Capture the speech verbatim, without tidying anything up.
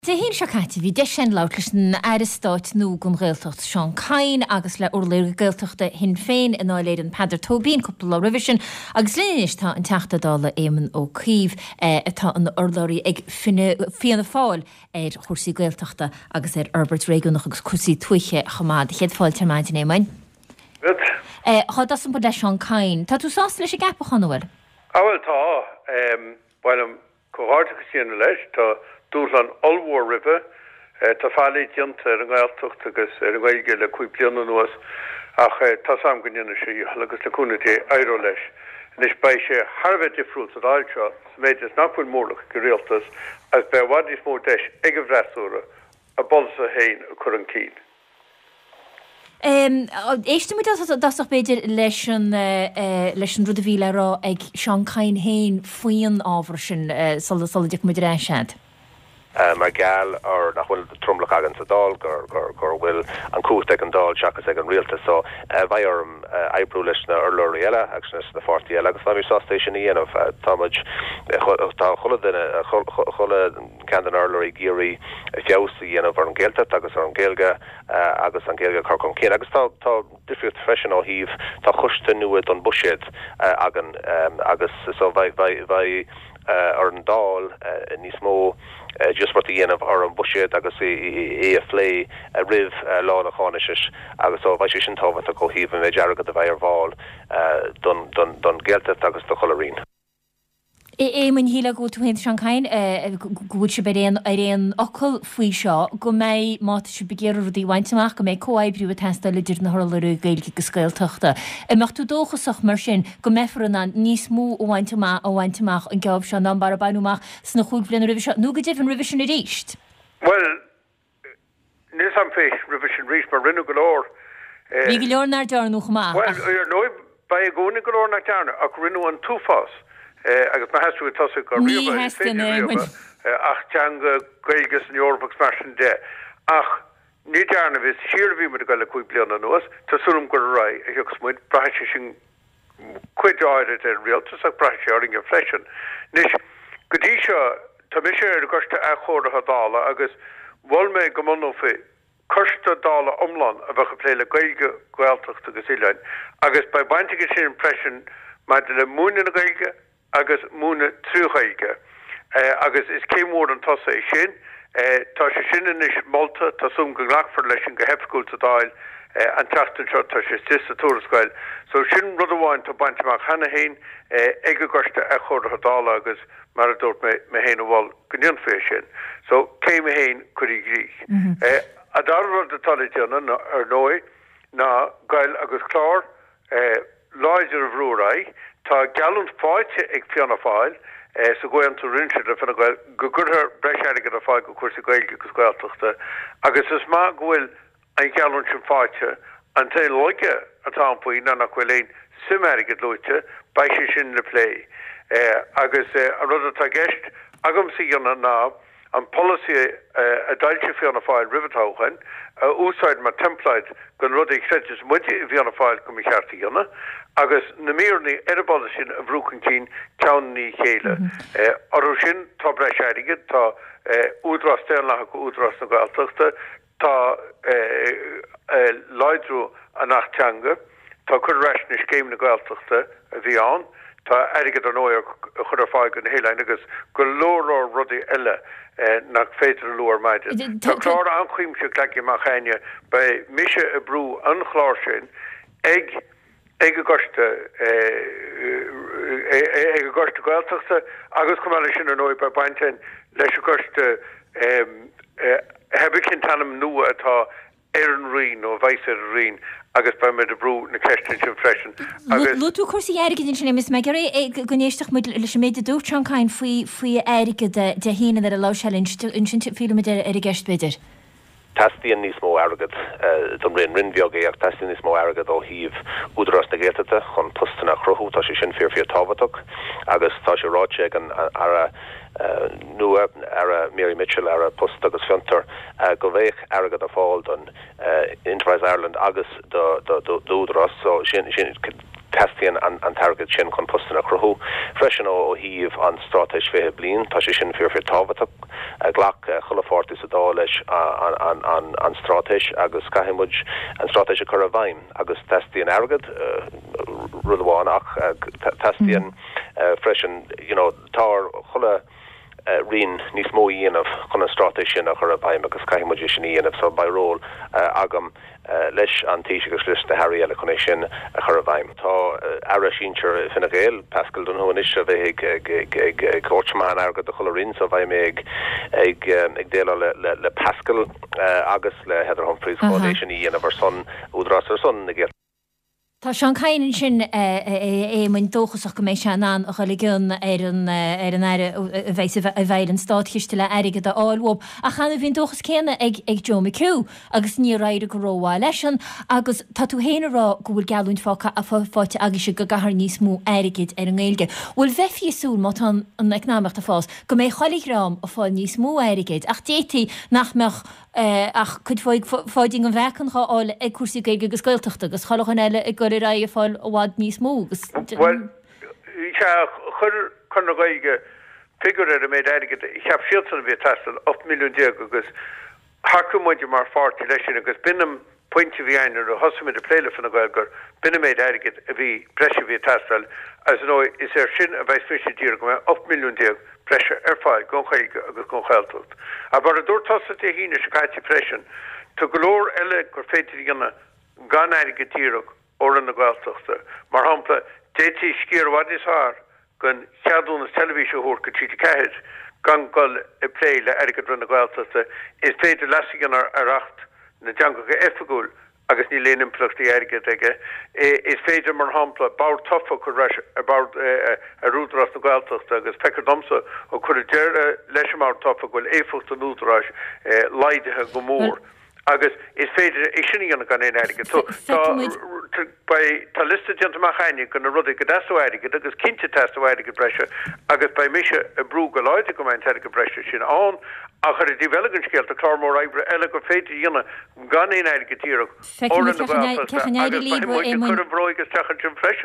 Dé hAoine seo caite bhí deis againn labhairt leis an Aire Stáit nua don Ghaeltacht Seán Kyne agus le urlabhraí Gaeltachta Shinn Féin i nDáil Éireann Peadar Tóibín cúpla lá roimhe sin agus linn anois tá an Teachta Dála Éamon Ó Cuív eh, atá ina urlabhraí ag Fianna Fáil ar chúrsaí Gaeltachta agus ar fhorbairt réigiúnach agus cúrsaí tuaithe chomh maith. Céad fáilte ar maidin Éamoin. Eh, Chá dosam leis Seán Kyne. Tá tú sásta leis an gceapachán bhfuil? Ah bhuel tá bhfuil comhghairdeachas a dhéanamh leis tá dúshlán ollmhór roimhe tá faillí déanta ar an nGaeltacht agus ar an Ghaeilge le cúig bliana anuas ach tá sam go ndéanfaidh sé agus le cúnamh Dé éireoidh leis. Anois beidh sé thar a bheith difriúil sa Dáil seo sa méid is nach bhfuil mórlach ag an rialtas agus beidh i bhfad níos mó deis ag an bhfreasúra a bpolasaithe féin a chur chun cinn. Éistfidh muid i dtosach b'fhéidir leis an leis an rud a bhí le rá ag Seán Kyne féin faoin ábhar sin sula sula dtiocfaidh muid ar ais agat. mar gheall ar nach bhfuil tromlach againn sa Dáil gur gur gur bhfuil an chumhacht ag an Dáil seachas ag an rialtas so beidh orm oibriú leis na urlabhraí eile agus leis na páirtithe eile agus tá mé sásta sin a dhéanamh tá tá chuile duine chuile cheann den urlabhraí ag iarraidh feabhas a dhéanamh ar an Ghaeltacht agus ar an Ghaeilge agus an Ghaeilge chur chun cinn agus tá tá difríocht freisin ó thaobh tá coiste nua don bhuiséad againn agus so bheidh bheidh ar an Dáil níos mó díospóireacht a dhéanamh ar an bhuiséad agus é a phlé roimh lá na cáinaisnéise agus so bheidh sé sin tábhachtach ó thaobh an méid airgead a bheidh ar fáil don don don Ghaeltacht agus do chuile roinn. Éamoin shílfeá go bhfuil tú féin Seán Kyne go bhfuil sibh ar aon ar aon fhocal faoi seo go mbeidh má tá sibh ag iarraidh rudaí a bhaint amach go mbeidh comhoibriú ag teastáil idir na hurlabhraí Gaeilge agus Gaeltachta. An mbeadh tú dóchasach mar sin go mbeifear in ann níos mó a bhaint amach a bhaint amach an geábh seo ná mar a baineadh amach sna cúig bliana roimhe seo nó go deimhin roimhe sin arís. Well níl am fé roimhe sin arís mar rinneadh go leor. Bhí go leor nach ndearnadh chomh maith. Well ar ndóigh beidh i gcónaí go leor nach ndearnadh ach rinneadh an t-uafás agus má sheas tú ag tosaigh go riamh ach teanga Gaeilge san Eoraip agus mar sin de. Ach ní dearna is siar a bhí muid ag dul le cúig bliana anuas, Tá súil agam gur ar aghaidh a thiocfas muid braithfidh sé sin cuid áirid ar an rialtas ach braithfidh sé orainne freisin. Anois go dtí seo tá mise ar an gcoiste athchóirithe Dála agus mhol mé go mbunófaí coiste Dála iomlán a bheadh ag plé le Gaeilge, Gaeltacht agus oileáin, agus beidh baint aige sin freisin maidir le múineadh na Gaeilge agus múineadh trí Ghaeilge. Agus is céim mhór an tosaigh é sin. Tá sé sin anois molta tá súil agam go nglacfar leis sin go hoifigiúil sa Dáil an tseachtain seo tá sé istigh sa tuarascáil. So sin rud amháin tá bainte amach cheana féin ag an gcoiste athchóirithe Dála agus mar a dúirt mé mé féin a mhol go ndéanfaí é sin. So céim a haon curtha i gcrích. An dara rud atá le déanamh ar ndóigh ná goil agus clár láidir a bhrú ar aghaidh, Tá geallúint faighte ag Fianna Fáil sa gcomhaontú a rinne siad le Fine Gael go gcuirfear breis airgid ar fáil do chúrsaí Gaeilge agus Gaeltachta agus is maith go bhfuil an gheallúint sin faighte an t-aon laige atá ann faoi ná nach bhfuil aon suim airgid luaite, beidh sé sin le plé. Agus an rud atá i gceist agamsa a dhéanamh ná an polasaí a d'fhoilsigh Fianna Fáil roimh an toghchán a úsáid mar teimpléad don rud a chreideas muide i bhFianna Fáil go mba cheart a dhéanamh, agus na míreanna ar an bpolasaí sin a bhrú chun cinn ceann i ndiaidh a chéile. Orthu sin tá breis airgid, tá údarás daonlathach Údarás na Gaeltachta, tá láidriú an Acht Teanga, tá cur ar ais na scéimeanna Gaeltachta a bhí ann, tá airgead ar ndóigh a chur ar fáil do na hoileáin agus go leor leor rudaí eile nach féidir a lua ar maidin. Tá clár an-chuimsitheach leagtha amach againne, beidh mise ag brú an chlár sin ag ag an gcoiste ag an gcoiste Gaeltachta agus chomh maith leis sin ar ndóigh beidh baint againn leis an gcoiste pé cén t-ainm nua atá ar an Roinn nó a bheas ar an Roinn agus beidh muid ag brú na ceisteanna sin freisin agus. Luaigh tú cúrsaí airgid ansin Éamonn, is mé ag iarraidh go n-éistfeadh muid leis an méid a dúirt Seán Kyne faoi faoi airgead Dé hAoine nuair a labhair sé linn, ansin fillfidh muid ar an gceist b'fhéidir. Teastaíonn níos mó airgead don Roinn, Roinn bheag é ach teastaíonn níos mó airgead ó thaobh Údarás na Gaeltachta chun postanna a chruthú, tá sé sin fíor fíor tábhachtach agus tá sé ráite ag an Aire nua, Aire Mary Mitchell, Aire Post agus Fiontar, go mbeadh airgead ar fáil don Enterprise Ireland agus d'Údarás so sin sin Teastaíonn an t-airgead sin chun postanna a chruthú. Freisin ó thaobh an Straitéis fiche Bliain, tá sé sin fíor fíor tábhachtach. Ghlac chuile pháirtí sa Dáil leis an straitéis agus caithfidh muid an straitéis a chur i bhfeidhm agus teastaíonn airgead, rud amháin, ach teastaíonn freisin, you know, tá ar chuile roinn níos mó a dhéanamh chun an straitéis sin a chur i bhfeidhm agus caithfidh muid é sin a dhéanamh so beidh ról agam leis an Taoiseach agus leis na hairí eile chun é sin a chur i bhfeidhm. Tá Aire Sinsir Fine Gael, Paschal Donohoe anois a bheidh ag ag ag ag tabhairt amach an airgead do chuile roinn so beidh mé ag ag ag déileáil le le Paschal agus le Heather Humphreys chun é sin a dhéanamh ar son Údarás ar son na Gaeltachta. Tá Seán Kyne ansin, a Éamoinn, dóchasach go mbeidh sé in ann a dhul i gcion ar an ar an Aire a bheidh a bheidh ar an státchiste le airgead a fháil uathu. Ach cheana bhí an dóchas céanna ag ag Joe McHugh agus níor éirigh go rómhaith leisean agus tá tú féin ag rá go bhfuil geallúint faighte agaibhse go gcaithfear níos mó airgid ar an nGaeilge. Bhuel bheifí ag súil má tá an eacnamaíocht ag fás go mbeidh chuile dhream ag fáil níos mó airgid ach d'fhéadfaí nach mbeadh ach cuid Pháidín den mheáchan dhá fháil ag cúrsaí Gaeilge agus Gaeltachta agus chuile dhuine eile ag dul ar aghaidh ag fáil i bhfad níos mó agus. Bhuel, sea, chuir Conradh na Gaeilge figiúr ar an méid airgid a cheap siadsan a bhí ag teastáil, ocht milliún déag, agus thacaigh muide mar pháirtí leis sin agus b'in an pointe a bhí ann nuair a thosaigh muid ag plé le Fine Gael gur b'in an méid airgid a bhí breise a bhí ag teastáil agus ar ndóigh is air sin a bheas mise ag díriú go mbeidh ocht milliún déag breise ar fáil don Ghaeilge agus don Ghaeltacht. Ach mar a dúirt tusa Dé hAoine seo caite freisin, tá go leor eile gur féidir a dhéanamh gan airgead díreach ó Roinn na Gaeltachta. Mar shampla, d'fhéadfaí sciar i bhfad níos fearr den cheadúnas teilifíse a thabhairt go T G ceathair gan dul ag plé le airgead Roinn na Gaeltachta. Is féidir leasú a dhéanamh ar Acht na dTeangacha Oifigiúil agus níl aon impleachtaí airgid aige. Is féidir, mar shampla, bord tofa a chur ar ais ar bord ar Údarás na Gaeltachta agus feictear domsa ó cuireadh deireadh leis an mbord tofa go bhfuil éifeacht an Údaráis laghdaithe go mór agus is féidir é sin a dhéanamh gan aon airgead. So tá beidh tá liosta déanta amach againne de na rudaí go dteastódh airgead agus cinnte teastóidh airgead breise agus beidh mise ag brú go láidir go mbeidh an t-airgead breise sin ann ach ar an dtaobh eile den scéal tá clár mór oibre eile gur féidir a dhéanamh gan aon airgead díreach ó Roinn na Gaeltachta agus beidh muid ag cur an bhróig isteach ansin freisin.